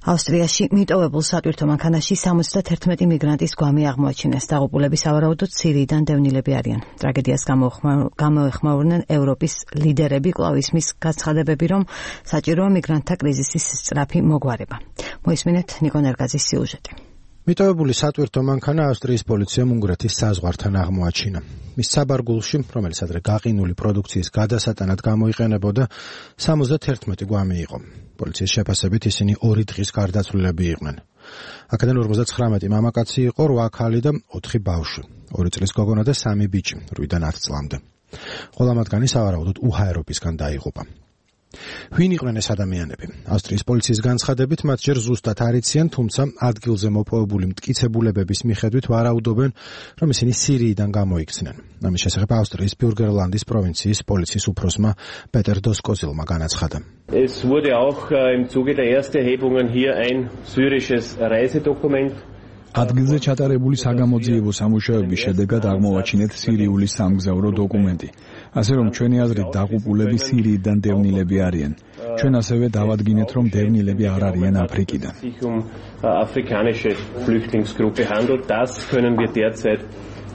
ავსტრიაში მიტოვებულ სატვირთო მანქანაში 71 მიგრანტის გვამი აღმოაჩინეს. დაღუპულები სავარაუდოდ სირიიდან დევნილები არიან. ტრაგედიას გამოეხმაურნენ ევროპის ლიდერები, კვლავ ისმის გაცხადებები, რომ საჭიროა მიგრანტთა კრიზისის სწრაფი მოგვარება. მოისმინეთ ნიკო ნერგაძის სიუჟეტი. მიტოვებული სატვირთო მანქანა ავსტრიის პოლიციამ უნგრეთის საზღვართან აღმოაჩინა. მის საბარგულში, რომელიც ადრე გაყინული პროდუქციის გადასატანად გამოიყენებოდა, 71 გვამი იყო. პოლიციის შეფასებით ისინი 2 დღის გარდაცვლილები იყვნენ. აქედან 59 მამაკაცი იყო, 8 ქალი და 4 ბავშვი. 2 წლის გოგონა და 3 ბიჭი, 8-დან 10 წლამდე. ყველა მათგანი სავარაუდოდ უჰაეროფისგან დაიღუპა. ვინ იყვნენ ეს ადამიანები? ავსტრიის პოლიციის განცხადებით, მათ ჯერ ზუსტად არ იციან, თუმცა ადგილზე მოპოვებული მტკიცებულებების მიხედვით ვარაუდობენ, რომ ისინი სირიიდან გამოიქცნენ. ამის შესახებ ავსტრიის ბიურგერლანდის პროვინციის პოლიციის უფროსმა პეტერ დოსკოზილმა განაცხადა. Es wurde auch im Zuge der Ersterhebungen hier ein syrisches Reisedokument. ადგილზე ჩატარებული საგამოძიებო სამუშაოების შედეგად აღმოვაჩინეთ სირიული სამგზავრო დოკუმენტი. ასე რომ ჩვენი აზრით დაღუპულები სირიიდან დევნილები არიან. ჩვენ ასევე დავადგინეთ, რომ დევნილები არ არიან აფრიკიდან. Afrikanische Flüchtlingsgruppe handelt, das können wir derzeit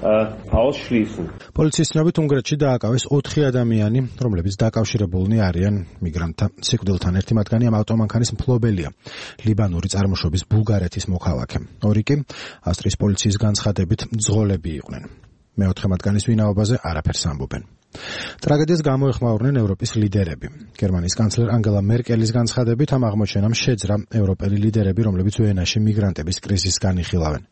ausschließen. პოლიციის ცნობით უნგრეთში დააკავეს 4 ადამიანი, რომლებიც დაკავშირებულნი არიან მიგრანტთა სიკვდილთან. ერთი მათგანი ამ ავტომანქანის მფლობელია, ლიბანური წარმოშობის ბულგარეთის მოქალაქე. 2 კი ავსტრიის პოლიციის განცხადებით ძღოლები იყვნენ. მეოთხე მათგანის ვინაობაზე არაფერს ამბობენ. ტრაგედიას გამოეხმაურნენ ევროპის ლიდერები. გერმანიის კანცლერ ანგელა მერკელის განცხადებით ამ აღმოჩენამ შეძრა ევროპელი ლიდერები, რომლებიც ვენაში მიგრანტების კრიზისს განიხილავენ.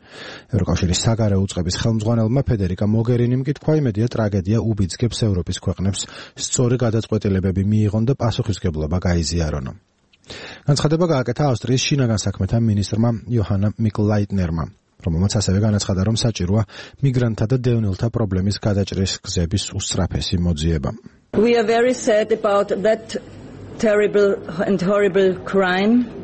ევროკავშირის საგარეო უწყების ხელმძღვანელმა ფედერიკა მოგერინიმ კი თქვა, იმედია ტრაგედია უბიძგებს ევროპის ქვეყნებს სწორი გადაწყვეტილებები მიიღონ და პასუხისმგებლობა გაიზიარონ. განცხადება გააკეთა ავსტრიის შინაგან საქმეთა მინისტრმა იოჰანა მიკლაიტნერმა, რომელმაც ასევე განაცხადა, რომ საჭიროა მიგრანტთა და დევნილთა პრობლემის გადაჭრის გზების უსწრაფესი მოძიება. We are very sad about that terrible and horrible crime.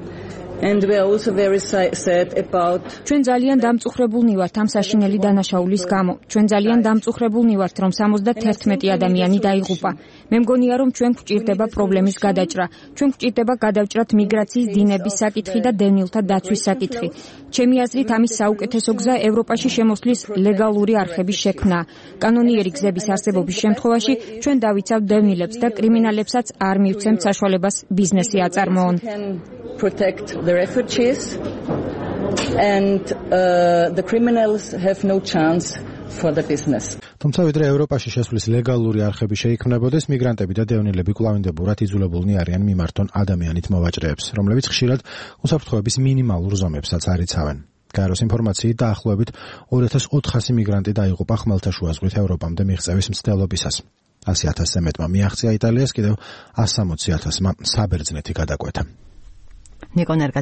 And we are also very sad about ჩვენ ძალიან დამწუხრებულნი ვართ ამ საშინელი დანაშაულის გამო. ჩვენ ძალიან დამწუხრებულნი ვართ, რომ 71 ადამიანი დაიღუპა. მე მგონია, რომ ჩვენ გვჭირდება პრობლემის გადაჭრა. ჩვენ გვჭირდება გადავჭრათ მიგრაციის დინების საკითხი და დევნილთა დაცვის საკითხი. ჩემი აზრით, ამის საუკეთესო გზა ევროპაში შემოსვლის ლეგალური არხების შექმნა. კანონიერი გზების არსებობის შემთხვევაში ჩვენ დავიცავთ დევნილებს და კრიმინალებსაც არ მივცემთ საშუალებას ბიზნესი აწარმოონ. Protect the refugees and the criminals have no chance for the business. თუმცა ვიდრე ევროპაში შესვლის ლეგალური არხები შეიქმნებოდეს, მიგრანტები და დევნილები კვლავინდებურად იძულებულნი არიან მიმართონ ადამიანით მოვაჭრეებს, რომლებიც ხშირად უსაფრთხოების მინიმალურ ზომებსაც არ იცავენ. გაეროს ინფორმაციით დაახლოებით 2400 მიგრანტი დაიღუპა ხმელთაშუა ზღვით ევროპამდე მიღწევის მცდელობისას. 100,000-ზე მეტმა მიაღწია იტალიას, კიდევ 160,000-მა საბერძნეთი გადაკვეთა. ნიკო ნერგაძის